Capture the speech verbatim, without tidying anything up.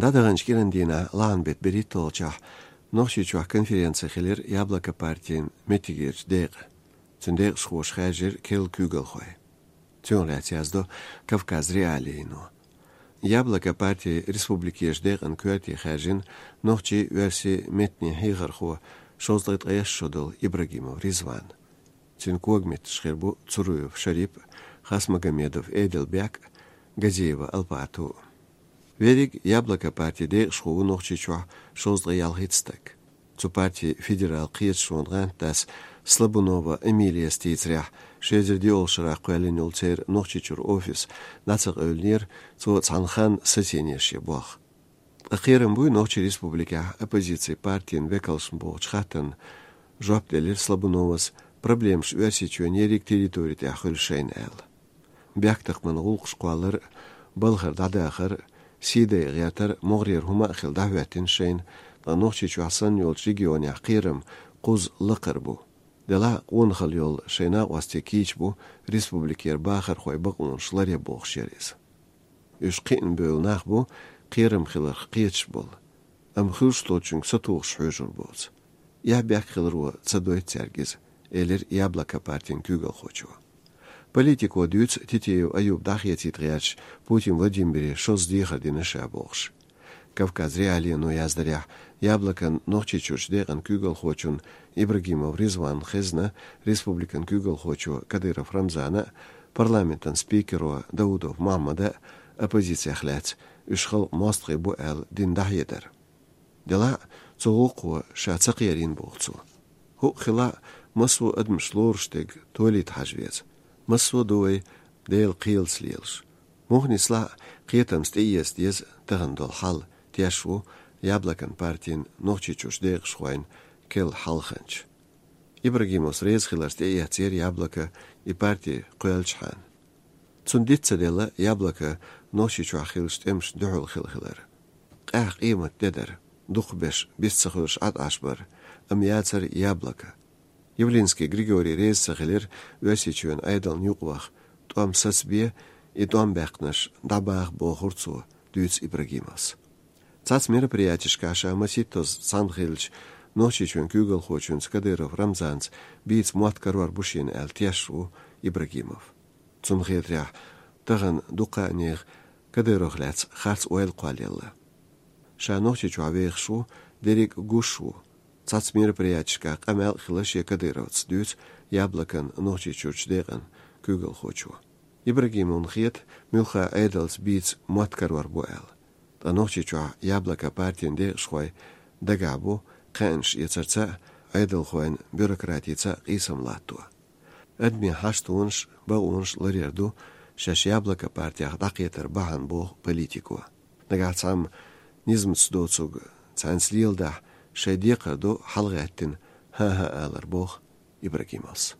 ДӀадаханчу кӀиран дийнахь, лахьан беттан берхӀитталгӀачохь, Нохчийчохь конференци хилира Яблоко партин меттигерчу декъан. Цуьнан декъашхоша хаьржира керла куьйгалхой. Цунах лаьцна яздо Кавказ.Реалиино. Яблоко партин республикерчу декъан коьрте хаьржина нохчийн, оьрсийн меттанийн хьехархо, шовзткъе ткъайесна шо долу Ибрагимов Ризван. Цуьнан когаметтигаш хир бу Цуруев Шарип, Хасмагомедов Эдельбек, Газиева Алпату. Верриг Яблоко партин декъашхо ву Нохчийчохь шовзткъе ялхитта стаг. Цу партин федералан кхеташонан гӀантдас Слабунова Эмилияс дийцарехь, ши эзар диъолгӀачу шарахь кхоьллина йолу церан Нохчийчуьра офис дӀа ца къевлинера цо цхьана ханна сацийнера шен болх. Ткъа кхерам буй Нохчийн республикехь оппозицин партийн векалшна бохучу хаттарна жоп делира Слабуновас, проблемаш Оьрсийчоьнан ерриг территори тӀехь хуьлу шайна аьлла. Бехктакхаман гӀуллакхаш кхоллар, балхара дӀадахар, сий дайа гӀертар, могӀарера хӀума а хилла дӀахӀоьттина шайна, ткъа Нохчийчохь санна йолчу регионехь кхерам кхузза лакхара бу. Делахь а къонахалла йолу шайн накъостий кийча бу республикера бахархойн бакъонаш ларъян бохуш яра иза. Уьш кхиъна бевлла нах бу, кхерам хиларх кхеташ болу, амма хуьлуш долчуьнга сатухуш хьоьжур боцу. Эхь-бехк хиларо ца дойту цаьрга иза, элира Яблоко партин куьйгалхочо. Политико дуьйцу Титиев Аюб дӀахецийта гӀерташ Путин Владимире шозза дехар дина ша бохуш. Кавказ.Реалиино яздарехь, Яблокон Нохчийчуьрчу декъан куьйгалхочун Ибрагимов Ризванан хезна республикан куьйгалхочо Кадыров Рамзана а, парламентан спикеро Даудов Мохьмада а оппозицех лаьцна уьш халкъан мостагӀий бу аьлла дина дӀахьедар. Делахь а цу гӀуллакхо ша ца кхерийна боху цо. ХӀуъа хилахь а, массо а адамаш лоруш дерг толийта хьажа веза. Массо а ду вай Делан кхелаца лелаш. Муха нислахь а, кхетамца тӀеэца деза тахана долу хьал, теш ву Яблокон партин Нохчийчуьрчу декъашхойн керла хьалханча. Ибрагимовс реза хиларца тӀеэцнера Яблоко и парти кхоьллинчхьана. Цунна диц ца делла Яблоко Нохчийчохь хиллачу тӀемашна дуьхьал хилла хилар. Къаьхьа къемат де дара, дукхахберш бист ца хуьлуш Ӏад Ӏаш бара, амма яцара Яблоко. Явлинский Григорий реза ца хилира Оьрсийчоьнан Ӏедална юкъаваха, тӀом сацабе, и тӀом баьккхинарш дӀабаха бохура цо, дуьйцу Ибрагимовс. Цхьацца мероприятешкахь ша масийттазза цхьаьна хиллачу Нохчийчоьнан куьйгалхочуьнца Кадыров Рамзанца бийца мотт карор бу шена аьлла теш ву Ибрагимов. Цунна хетарехь, тахана дуккха а нехан Кадыровх лаьцна харц ойла кхоллаелла. Ша Нохчийчохь вехаш ву, дерриг а гуш ву. Цхьацца мероприятешкахь къамел а хилла шен Кадыровца, дуьйцу Яблокон Нохчийчуьрчу декъан куьйгалхочо. Ибрагимовна хета, муьлхха Ӏедалца бийца мотт карор бу аьлла. Ткъа Нохчийчохь Яблоко партин декъашхой дагахь бу кхаьънаш эцарца а, Ӏедалхойн бюрократица а къийсам латто. Адамийн хьаштонаш, бакъонаш ларъяр ду шаьш Яблоко партех дӀакхетар бахьана боху политико. Нагахь цхьамма низамца доцург цхьаьнца леладахь, шайн декхар ду хьалагӀаьттина хӀан-хӀа алар боху Ибрагимовс.